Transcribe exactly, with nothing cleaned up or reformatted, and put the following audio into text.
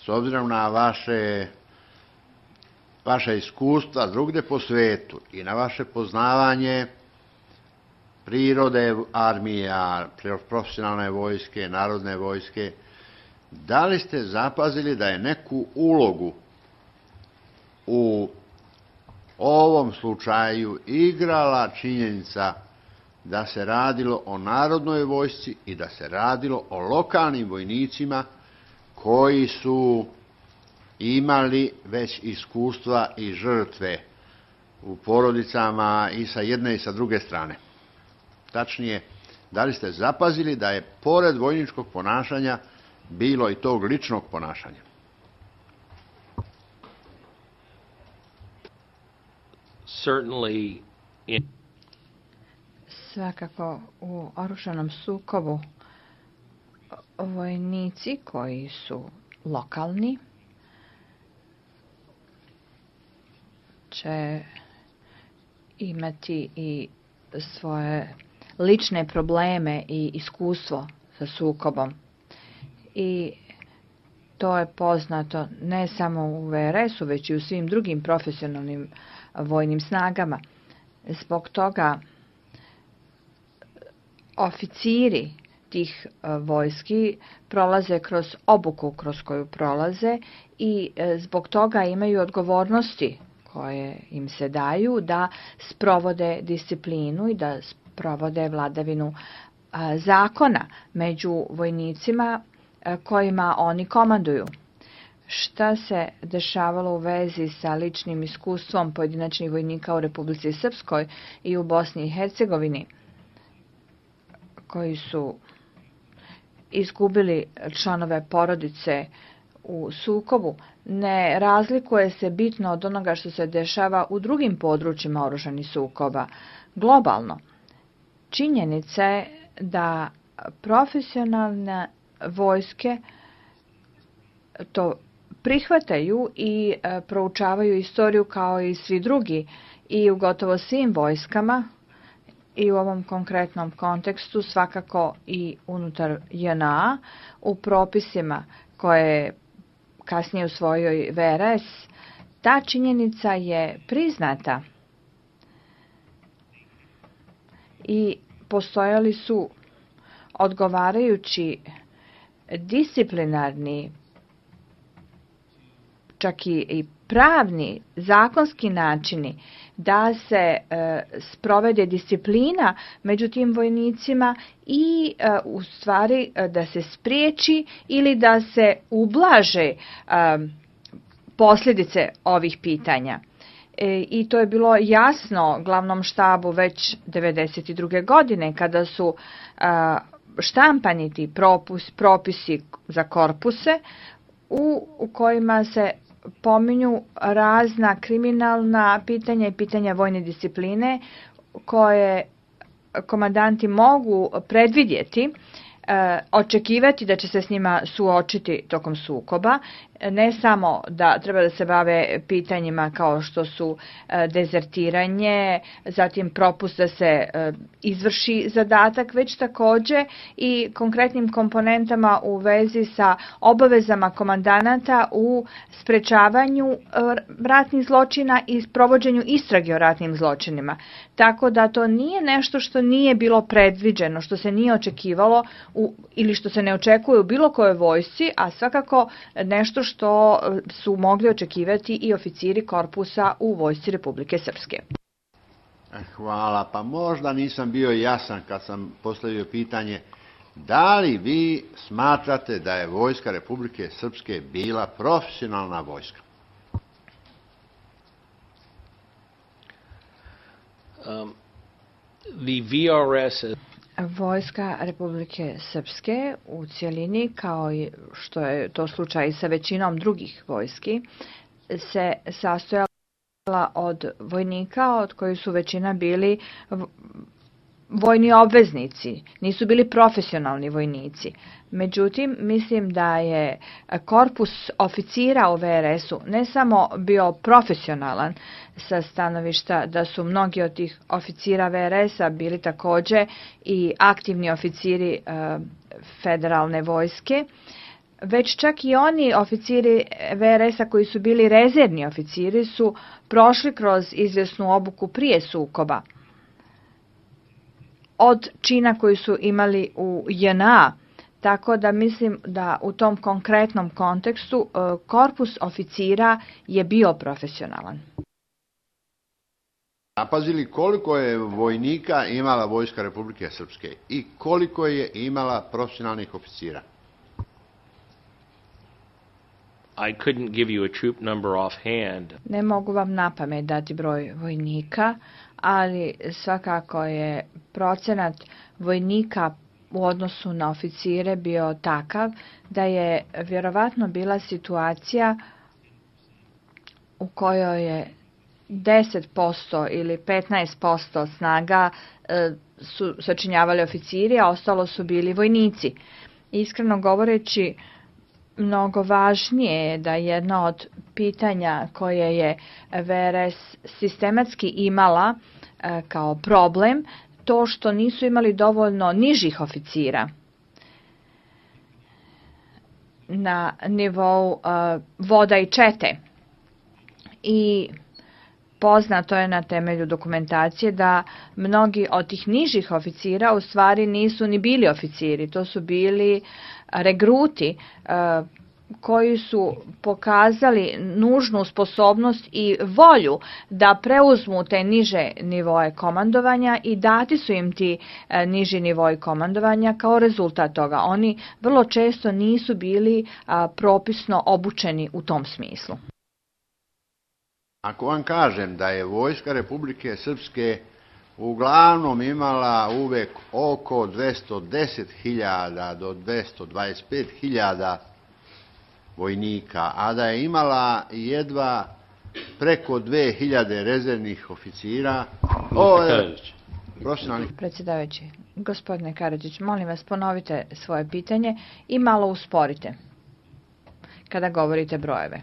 s obzirom na vaše, vaše iskustva drugdje po svijetu i na vaše poznavanje prirode armija, profesionalne vojske, narodne vojske, da li ste zapazili da je neku ulogu u ovom slučaju igrala činjenica da se radilo o narodnoj vojsci i da se radilo o lokalnim vojnicima koji su imali već iskustva i žrtve u porodicama i sa jedne i sa druge strane? Tačnije, da li ste zapazili da je pored vojničkog ponašanja bilo i tog ličnog ponašanja? Certainly in... Svakako u oružanom sukobu vojnici koji su lokalni će imati i svoje lične probleme i iskustvo sa sukobom. I to je poznato ne samo u V R S-u, već i u svim drugim profesionalnim vojnim snagama. Zbog toga oficiri tih vojski prolaze kroz obuku kroz koju prolaze i zbog toga imaju odgovornosti koje im se daju da sprovode disciplinu i da sprovode vladavinu zakona među vojnicima kojima oni komanduju. Šta se dešavalo u vezi sa ličnim iskustvom pojedinačnih vojnika u Republici Srpskoj i u Bosni i Hercegovini, koji su izgubili članove porodice u sukobu, ne razlikuje se bitno od onoga što se dešava u drugim područjima oružanih sukoba. Globalno, činjenica je da profesionalne vojske to prihvataju i e, proučavaju istoriju kao i svi drugi i u gotovo svim vojskama i u ovom konkretnom kontekstu svakako i unutar J N A u propisima koje kasnije usvojio i V R S. Ta činjenica je priznata i postojali su odgovarajući disciplinarni, čak i pravni, zakonski načini da se e, sprovede disciplina među tim vojnicima i e, u stvari e, da se spriječi ili da se ublaže e, posljedice ovih pitanja. E, I to je bilo jasno glavnom štabu već devedeset druge godine kada su e, štampani ti propus, propisi za korpuse u, u kojima se pominju razna kriminalna pitanja i pitanja vojne discipline koje komandanti mogu predvidjeti, e, očekivati da će se s njima suočiti tokom sukoba, ne samo da treba da se bave pitanjima kao što su e, dezertiranje, zatim propust da se e, izvrši zadatak, već također i konkretnim komponentama u vezi sa obavezama komandanata u sprečavanju e, ratnih zločina i provođenju istrage o ratnim zločinima. Tako da to nije nešto što nije bilo predviđeno, što se nije očekivalo u, ili što se ne očekuje u bilo kojoj vojsci, a svakako nešto što su mogli očekivati i oficiri korpusa u vojsci Republike Srpske. Hvala. Pa možda nisam bio jasan kad sam postavio pitanje da li vi smatrate da je vojska Republike Srpske bila profesionalna vojska? Um, the V R S Vojska Republike Srpske u cjelini, kao i što je to slučaj sa većinom drugih vojski, se sastojala od vojnika od kojih su većina bili vojni obveznici, nisu bili profesionalni vojnici. Međutim, mislim da je korpus oficira u V R S-u ne samo bio profesionalan sa stanovišta da su mnogi od tih oficira V R S-a bili također i aktivni oficiri e, federalne vojske, već čak i oni oficiri V R S-a koji su bili rezervni oficiri su prošli kroz izvjesnu obuku prije sukoba. Od čina koji su imali u J N A, tako da mislim da u tom konkretnom kontekstu korpus oficira je bio profesionalan. Zapazili koliko je vojnika imala Vojska Republike Srpske i koliko je imala profesionalnih oficira? I couldn't give you a troop number offhand. Ne mogu vam napamet dati broj vojnika, ali svakako je procenat vojnika u odnosu na oficire bio takav da je vjerovatno bila situacija u kojoj je deset posto ili petnaest posto snaga e, su sačinjavali oficiri, a ostalo su bili vojnici. Iskreno govoreći, mnogo važnije je da jedno od pitanja koje je V R S sistematski imala e, kao problem, to što nisu imali dovoljno nižih oficira na nivou uh, voda i čete. I poznato je na temelju dokumentacije da mnogi od tih nižih oficira u stvari nisu ni bili oficiri, to su bili regruti uh, koji su pokazali nužnu sposobnost i volju da preuzmu te niže nivoje komandovanja i dati su im ti e, niži nivoi komandovanja kao rezultat toga. Oni vrlo često nisu bili a, propisno obučeni u tom smislu. Ako vam kažem da je Vojska Republike Srpske uglavnom imala uvek oko dvesta deset hiljada do dvesta dvadeset pet hiljada vojnika, a da je imala jedva preko dve hiljade rezervnih oficira. O, profesionalnih. Predsjedavajući, gospodine Karadžić, molim vas ponovite svoje pitanje i malo usporite kada govorite brojeve.